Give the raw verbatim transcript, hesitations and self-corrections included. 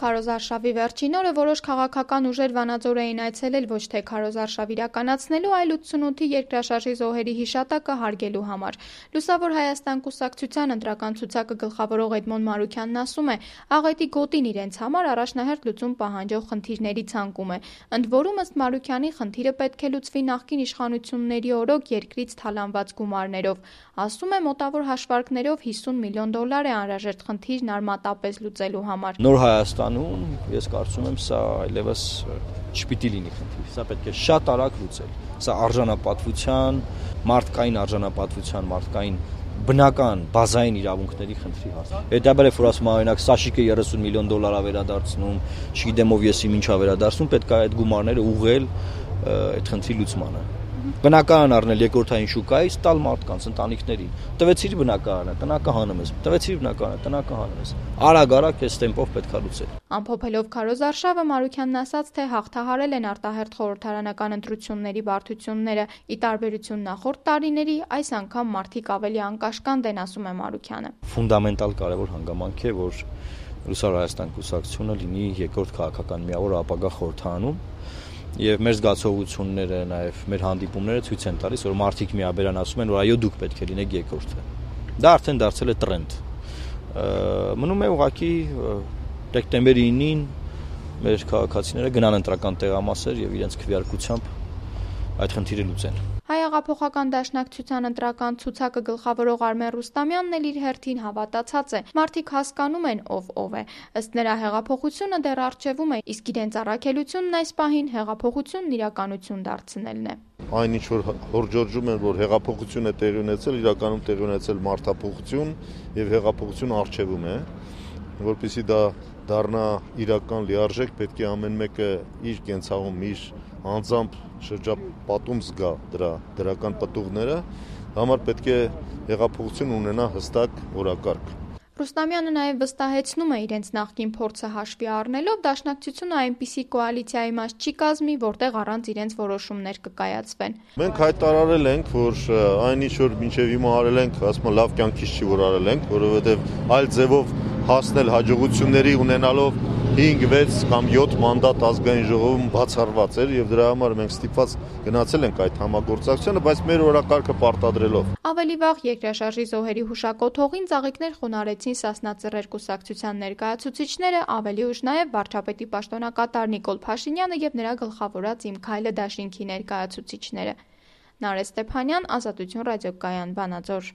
Քարոզարշավի վերջին օրը որոշ քաղաքական ուժեր Վանաձոր էին այցելել ոչ թե քարոզարշավ իրականացնելու, այլ ութսունութի երկրաշարժի զոհերի հիշատակը հարգելու համար։ Լուսավոր Հայաստան կուսակցության ընտրական ցուցակը գլխավորող Էդմոն Մարուքյանն ասում է, աղետի գոտին իրենց համար առաջնահերթ լուծում պահանջող խնդիրների ցանկում է։ Ընդ որում, ըստ Մարուքյանի, խնդիրը պետք է լուծվի նախկին իշխանությունների օրոք երկրից թալանված գումարներով։ Ասում է, մոտավոր հաշվարկներով հիսուն միլիոն դոլար է անհրաժեշտ խնդիրն արմատապես լուծելու համար։ Նոր Հայաստանում ես կարծում եմ սա այլևս չպիտի լինի խնդիր, սա պետք է շատ արագ լուծել։ Սա արժանապատվության, մարդկային արժանապատվության, մարդկային բնական բազային իրավունքների խնդրի հարց։ Հետաբերեւ որ ասում օրինակ Սաշիկը երեսուն միլիոն դոլար է վերադարձնում, չգիտեմ ով եսի ինչ է վերադարձնում, պետք է այդ գումարները ուղղել այդ խնդրի լուծմանը։ Բնական առնել երկրորդային շուկայից տալ մարդկանց, ընտանիքներին։ Տվեցիր բնակարանը, տնակը հանում ես։ Տվեցիր բնակարանը, տնակը հանում ես։ Արագ-արագ այս տեմպով պետք է լուծել։ Ամփոփելով քարոզարշավը Մարուքյանն ասաց, թե հաղթահարել են արտահերթ խորհրդարանական ընտրությունների բարդությունները։ Ի տարբերություն նախորդ տարիների, այս անգամ մարդիկ ավելի անկաշկանդ են, ասում է Մարուքյանը։ Ֆունդամենտալ կարևոր հանգամանք է, որ Լուսավոր Հայաստան կուսակցությունը լինի երկրորդ քաղաքական միավոր ապագա խորհրդարանում։ Եվ մեր զգացողությունները, նաև մեր հանդիպումները ցույց են տալիս, որ մարդիկ միաբերան ասում են, որ այո, դուք պետք է լինեք երկրորդը։ Դա արդեն դարձել է տրենդ։ Մնում է ուղղակի դեկտեմբերի ինին մեր քաղաքացիները գնան ընտրական տեղամասեր եւ իրենց քվեարկությամբ այդ խնդիրը լուծեն։ Հայ հեղափոխական դաշնակցության ընտրական ցուցակը գլխավորող Արմեն Ռուստամյանն էլ իր հերթին հավատացած է։ Մարդիկ հասկանում են ով ով է։ Ըստ նրա, հեղափոխությունը դեռ առջևում է, իսկ իրենց առաքելությունն այս պահին հեղափոխությունն իրականություն դարձնելն է։ Այն ինչ որ հորջորջում են, որ հեղափոխություն է տեղի ունեցել, իրականում տեղի ունեցել մարդափոխություն եւ հեղափոխություն առջևում է, որպեսզի դա դառնա իրական լիարժեք, պետք է ամեն մեկը իր կենցաղում, իր անձամբ շրջապատում զգա դրա դրական պտուղները, համար պետք է հեղափոխություն ունենա հստակ օրակարգ։ Ռուստամյանը նաև վստահեցնում է իրենց նախկին փորձը հաշվի առնելով, դաշնակցությունը այնպիսի կոալիցիայի մաս չի կազմի, որտեղ առանց իրենց որոշումներ կկայացվեն։ Մենք հայտարարել ենք, որ այն ինչ որ մինչև հիմա արել ենք, ասում եմ լավ կյանքից չի որ արել ենք, որովհետև այլ ձևով հասնել հաջողությունների ունենալով հինգ, վեց կամ յոթ մանդատ ազգային ժողովում բացառված էր եւ դրա համար մենք ստիպված գնացել ենք այդ համագործակցությանը, բայց մեր օրակարգը պարտադրելով։ Ավելի վաղ երկրաշարժի զոհերի հուշակոթողին ծաղիկներ խոնարհեցին Սասնա Ծռեր կուսակցության ներկայացուցիչները, ավելի ուշ նաեւ վարչապետի պաշտոնակատար Նիկոլ Փաշինյանը եւ նրա գլխավորած Իմ Քայլը դաշինքի ներկայացուցիչները։ Նարէ Ստեփանյան, Ազատություն ռադիոկայան, Վանաձոր։